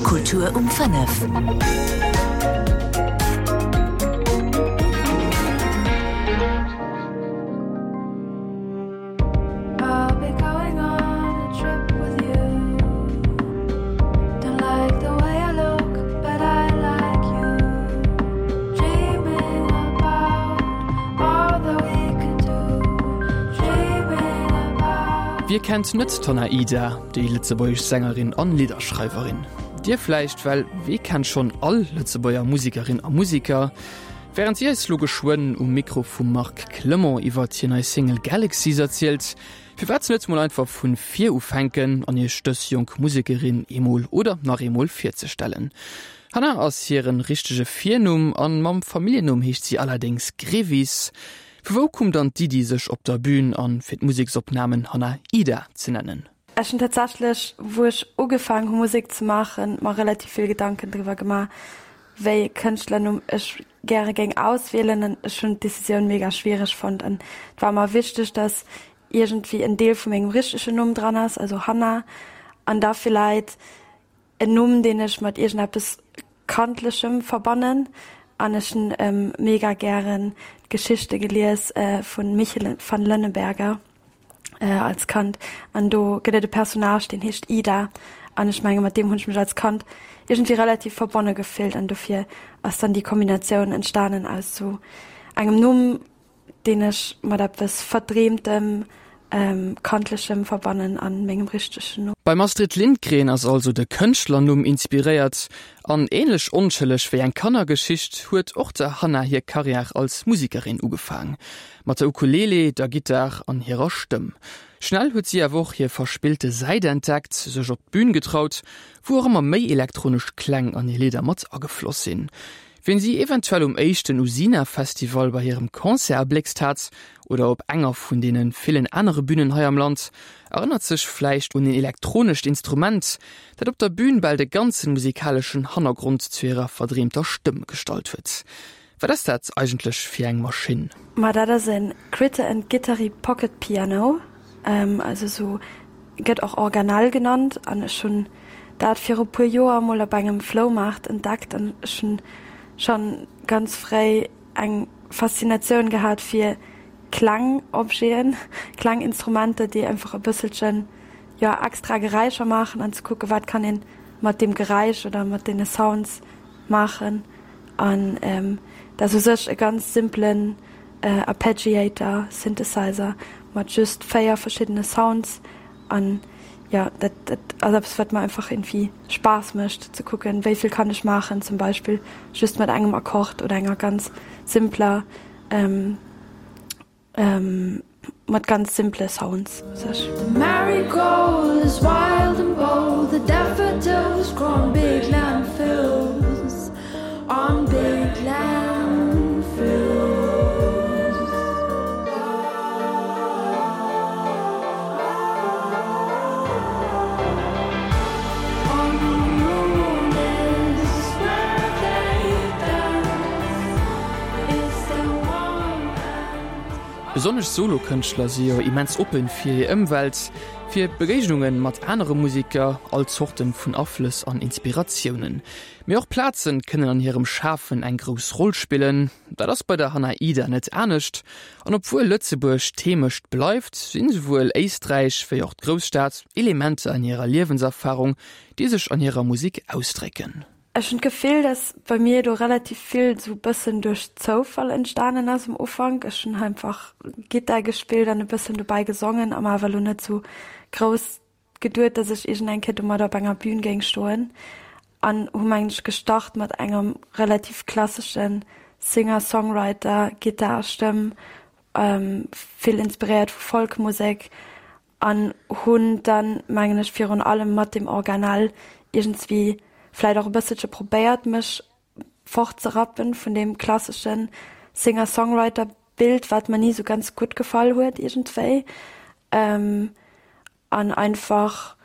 Kultur um 5. Wie kennt net d'Hanna Ida? Déi lëtzebuergesch Sängerin an Lidderschreiwerin. Dir vläicht, well wee kennt schonn all Lëtzebuerger Musekerin a Museker? Wärend si eis lo geschwënn um Mikro vum Marc Clement iwwert hir nei Single Galaxies erzielt, firwat net mol einfach vun vir ufänken an iech dës jonk Musekerin eemol oder nach eemol virzestellen? Hannah ass hiren richtege Virnumm an mam Familljennumm heescht si allerdéngs Grevis. Vu wou koum dann d'Iddi sech op der Bühn an fir d'Museksopnamen Hanna Ida ze nennen? Ech hunn tatsächlech, wou ech ugefaangen hu Musek ze maachen, mer relativ vill Gedanken driwwer gemaach, wéi e Kënschtlernumm ech gäre géing auswielen an ech hunn d'Decisioun mega schwiereg fonnt an et war mer wichteg, dass iergendwéi en Deel vu mengem richtegen Numm dran ass, also Hanna, an da vläit En Numm deen ech mat iergendeppes Kandlechem verbannen an ech hunn mega gären d'Geschichte gelies vun Michel van Lönneberga als Kand an do gëtt et e Personnage deen heescht Ida an ech menge mat deem hunn ech mech als Kand iergendwéi relativ verbonne gefillt an dofir ass dann déi Kombinatioun entstanen aus sou engem Numm deen ech mat eppes Verdreemtem, Kandlechem verbannen an mengem richtegen Numm. Beim Astrid Lindgren ass also de Kënschtlernumm inspiréiert, an ähnlech onschëlleg wéi eng Kannergeschicht huet och der Hannah hir Karriär als Musekerin ugefaang. Mat der Ukulele, der Gittar an hirer Stëmm. Schnell huet si awer och hir verspillte Säit entdeckt, sech op d'Bün getraut, wou och ëmmer méi elektronesch Kläng an hir Lidder mat agefloss sinn. Wien si eventuell um éischten Usina Festival bei hirem Concert erbléckst hat, oder op enger vun deene villen anere Bünen hei am Land, erënnert sech vläicht un een elektronescht Instrument, dat op der Bün bal de ganze musikaleschen Hannergrond zu hirer verdreemter Stëmm gestallt huet. Wat ass dat eigentlech fir eng Maschinn? Ma dat ass e Critter and Guitary Pocket Piano, also sou gëtt och Organelle genannt, an ech hunn dat viru puer Joer mol op engem Floumaart entdeckt an ech hunn schonn ganz fréi eng Faszinatioun gehat fir Klangobjeten, Klanginstrumenter, déi einfach e bësselchen, jo, extra Geräischer maachen an ze kucken, wat kann een mat deem Geräisch oder mat deene Sounds maachen. An dat ass u sech e ganz simplen Arpeggiator Synthesizer mat just 4 verschiddene Sounds an jo dat dat ass eppes wat mer einfach irgendwie Spaass mécht ze kucken wéi vill kann ech maachen zum Beispill just mat engem Akkord oder enger ganz simpler mat ganz simple Sounds u sech. The marigold is wild and bold, the daffodils grow on big landfills, on big landfills. Besonnesch Solokënschtler si jo immens oppen fir hir Ëmwelt, fir Begéignungen mat anere Museker, all Zorten vun Aflëss an Inspiratiounen. Mee och Plazen kënnen an hirem Schafen eng grouss Roll spillen. Dat ass bei der Hannah Ida net anescht. An obwuel Lëtzebuerg d'Heemecht bleift, sinn esouwuel Éisträich wéi och d'Grousstad Elementer an hirer Liewenserfarung, déi sech an hirer Musek ausdrécken. Ech hunn d'Gefill, dass bei mir do relativ vill sou bëssen duerch Zoufall entstanen ass um Ufank. Ech hunn einfach Gittar gespillt an e bëssen dobäi gesongen a mer awer elo net sou grouss geduet, dass ech iergend eng Kéier domadder op enger Bühn géing stoen an hu mengen ech gestart mat engem relativ klassesche Singer-Songwriter, Gittar a Stëmm, vill inspiréiert vu Folkmusek An hunn dann, mengen ech, virun allem mat dem Organelle iergendswéi vläit och e bësselche probéiert, mech fortzerappen vun deem klassesche Singer-Songwriter-Bild, wat mer ni esou ganz gutt gefall huet iergendswéi. An einfach,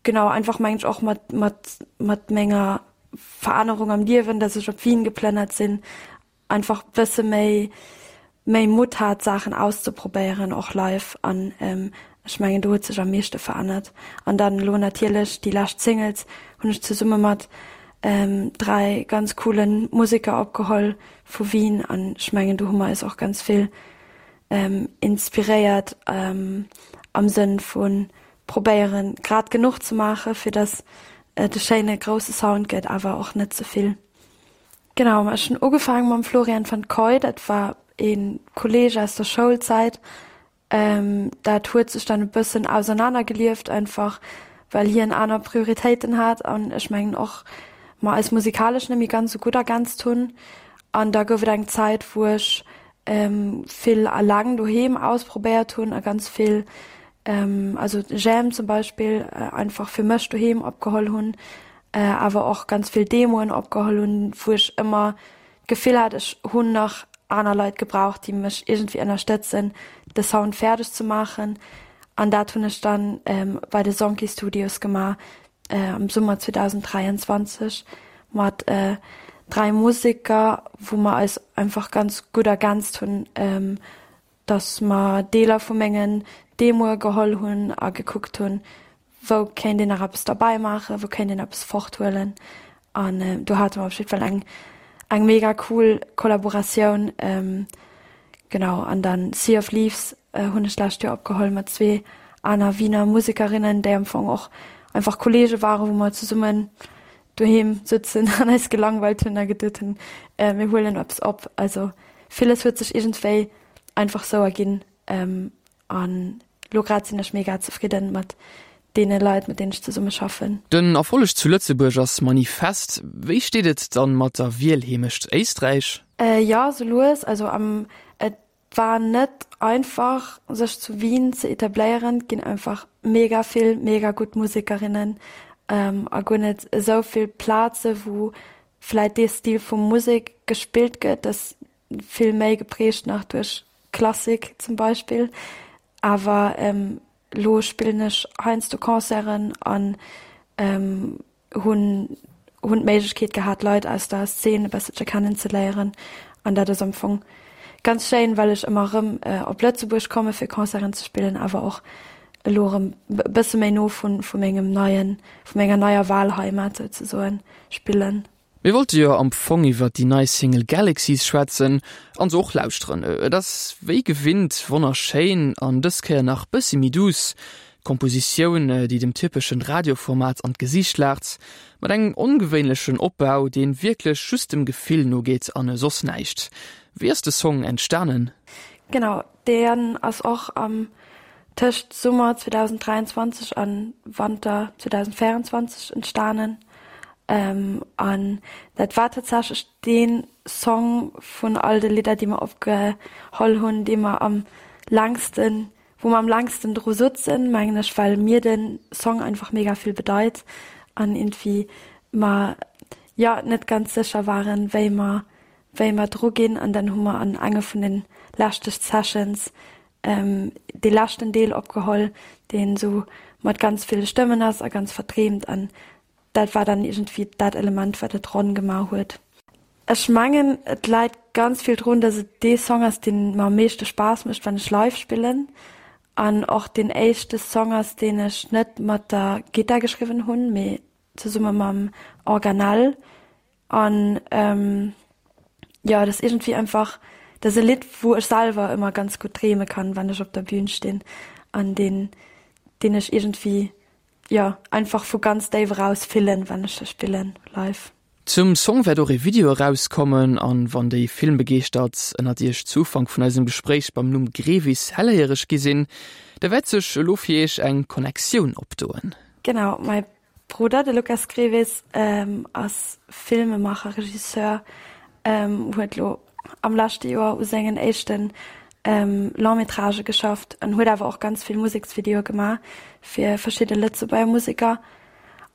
genau, einfach mengen ech och mat, mat, mat menger Verännerung am Liewen, dass ech op Wien geplënnert sinn, einfach bësse méi méi Mutt hat Saachen auszeprobéieren och live an. Ech mengen do huet sech am meeschte verännert. An dann elo natierlech déi lescht Singles hunn ech zesumme mat 3 ganz coole Museker opgeholl vu Wien an ech mengen do hu mer eis och ganz vill inspiréiert am Sënn vu probéieren grad genuch ze maache fir datt et e schéine grousse Sound gëtt, awer och net ze vill. Genau, ech hunn ugefaange mam Florian van Koy, dat war ee Kolleeg aus der Schoulzäit. Dat huet sech dann e bëssen ausernanergelieft, einfach well hien aner Prioritéiten hat an ech mengen och mer eis musikalesch net méi ganz esou gutt ergänzt hunn. An da gouf et eng Zäit, wou ech vill eleng doheem ausprobéiert hunn a ganz vill, also Jam zum Beispill, einfach fir mech doheem opgeholl hunn, awer och ganz vill Demoen opgeholl hunn, wou ech ëmmer d'Gefill hat, ech hunn nach aner Leit gebraucht, déi mech iergendwéi ënnerstëtzen, de Sound fäerdeg ze maachen. An dat hunn ech dann bei de Sonki Studios gemaach am Summer 2023 mat 3 Museker, wou mer eis einfach ganz gutt ergänzt hunn. dass mer Deeler vu mengen Demoe geholl hunn a gekuckt hunn, wou kéint een nach eppes derbäi maachen, wou kéint een eppes forthuelen. An do hate mer op jiddwer Fall eng, eng mega cool Kollaboratioun. Genau, an dann Sea of Leaves hunn ech d'lescht Joer opgeholl mat zwee aner Wiener Musekerinnen, déi am Fong och einfach Kolleege waren, wou mer zesummen doheem sëtzen an eis gelangweilt hunn a geduet hunn, mir huelen eppes op. Also villes huet sech iergendwéi einfach sou erginn an lo grad sinn ech mega zefridden mat deene Leit, mat deenen ech zesumme schaffen. Den Erfolleg zu Lëtzebuerg ass manifest. Wéi steet et dann mat der Wielheemecht Éisträich? Jo, sou lues. Also am et war net einfach sech zu Wien ze etabléieren. Et ginn einfach mega vill mega gutt Musekerinnen a guer net esou vill Plaze wou vläit dee Stil vu Musek gespillt gëtt. Dat ass vill méi geprägt nach duerch Klassik zum Beispill. Awer elo spillen ech heiansdo Concerten an hunn hunn d'Méiglechkeet gehat Leit aus der Szene e bësselche kennen ze léieren an dat ass am Fong ganz schéin, well ech ëmmer erëm op Lëtzebuerg komme fir Concerten ze spillen, awer och elo erëm e bësse méi no vu vu mengem neien, vu menger neier Wahlheimat souzesoen spillen. Mir wollte jo am Fong iwwer déi nei Single Galaxies schwätzen an se och lauschteren. Et ass wéi gewinnt wonnerschéin an dës Kéier nach bëssi méi duuss. Kompositioun, déi dem typeschen Radioformat an d'Gesiicht laacht, mat engem ongewéinlechen Opbau, deen wierklech just dem Gefill nogeet an soss näischt. Wéi ass de Song entstanen? Genau, deen ass och am tëscht Summer 2023 an Wanter 2024 entstanen. An dat war tatsächlech dee Song vun all de Lidder, déi mer opgeholl hunn, dee mer am längsten, wou mer am längsten dru sutzen, mengen ech, well mir de Song einfach mega vill bedeit an iergendwéi mer, jo, net ganz sécher waren, wéi mer, wéi mer dru ginn. An dann hu mer an enge vun de leschte Sessions dee leschten Deel opgeholl, deen esou mat ganz ville Stëmmen ass a ganz verdreemt an dat war dann iergendwéi dat Element, wat et ronn gemaach huet. Ech mengen, et läit ganz vill drun, dass et dee Song ass, dee mer am meeschte Spaass mécht, wann ech live spillen an och deen éischte Song ass, deen ech net mat der Gittar geschriwwen hunn, mee zesumme mam Organelle. An jo, et ass iergendwéi einfach, dat ass e Lidd, wou ech selwer ëmmer ganz gutt dreeme kann, wann ech op der Bühn stinn an deen, deen ech iergendwéi, jo, einfach vu ganz déif eraus fillen, wann ech e spillen live. Zum Song wäert och ee Video erauskommen an wann déi Filmbegeeschtert ënnert iech zu Ufank vun eisem Gespréich beim Numm Grevis helléiereg gi sinn, da wäert sech elo fir iech eng Connectioun opdoen. Genau, mäi Brudder, de Lucas Grevis, ass Filmemacher, Regisseur, huet lo am leschte Joer u sengen éischte Long-métragë geschafft an huet awer och ganz vill Museksvideoe gemaach fir verschidde Lëtzebuerger Museker.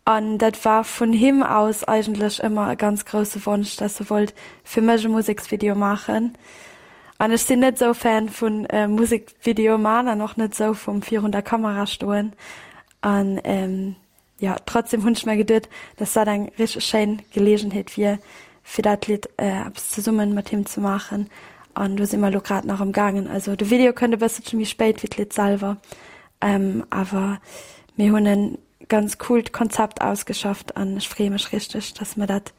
An dat war vun him aus eigentlech ëmmer e ganz grousse Wonsch, dass e wollt fir mech e Museksvideo maachen. An ech sinn net esou Fan vu Musekvideoe man an och net esou vum virun der Kamera stoen. An jo, trotzdem hunn ech mer geduet, dass dat eng richteg schéin Geleegenheet wier, fir dat Lidd eppes zesummen mat him ze maachen. An do si mer elo grad nach am gaangen. Also de Video kënnt e bësselche méi spéit wéi d'Lidd selwer. Awer mir hunn e ganz coolt Konzept ausgeschafft an ech freeë mech richteg, dass mer dat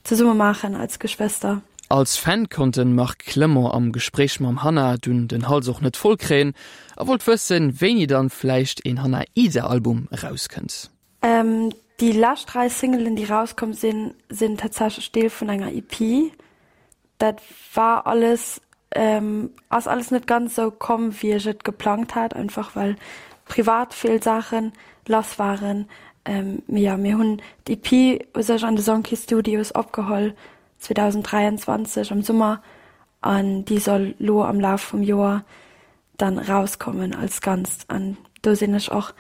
zesumme maachen als Geschwëster. Als Fan konnt de Marc Clement am Gespréich mam Hannah dunn den Hals och net voll kréien a wollt wëssen, wéini dann vläicht een Hannah Ida Album erauskënnt. Déi lescht 3 Singelen, déi rauskomm sinn, sinn tatsächlech Deel vun enger EP. Dat war alles, ass alles net ganz esou komm, wéi ech et geplangt hat, einfach well privat vill Saache lass waren. Mee jo, mir hunn d'EP u sech an de Sonki Studios opgeholl 2023 am Summer an déi soll lo am Laf vum Joer dann rauskommen als Ganzt an do sinn ech och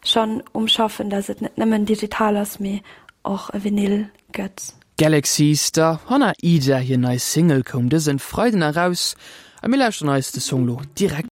schonn um schaffen, dass et net nëmmen digital ass, mee och e Vinyl gëtt. Galaxies, der Hannah Ida hir nei Single koum dësen Freiden eraus a mir lauschteren eis de Song lo direkt.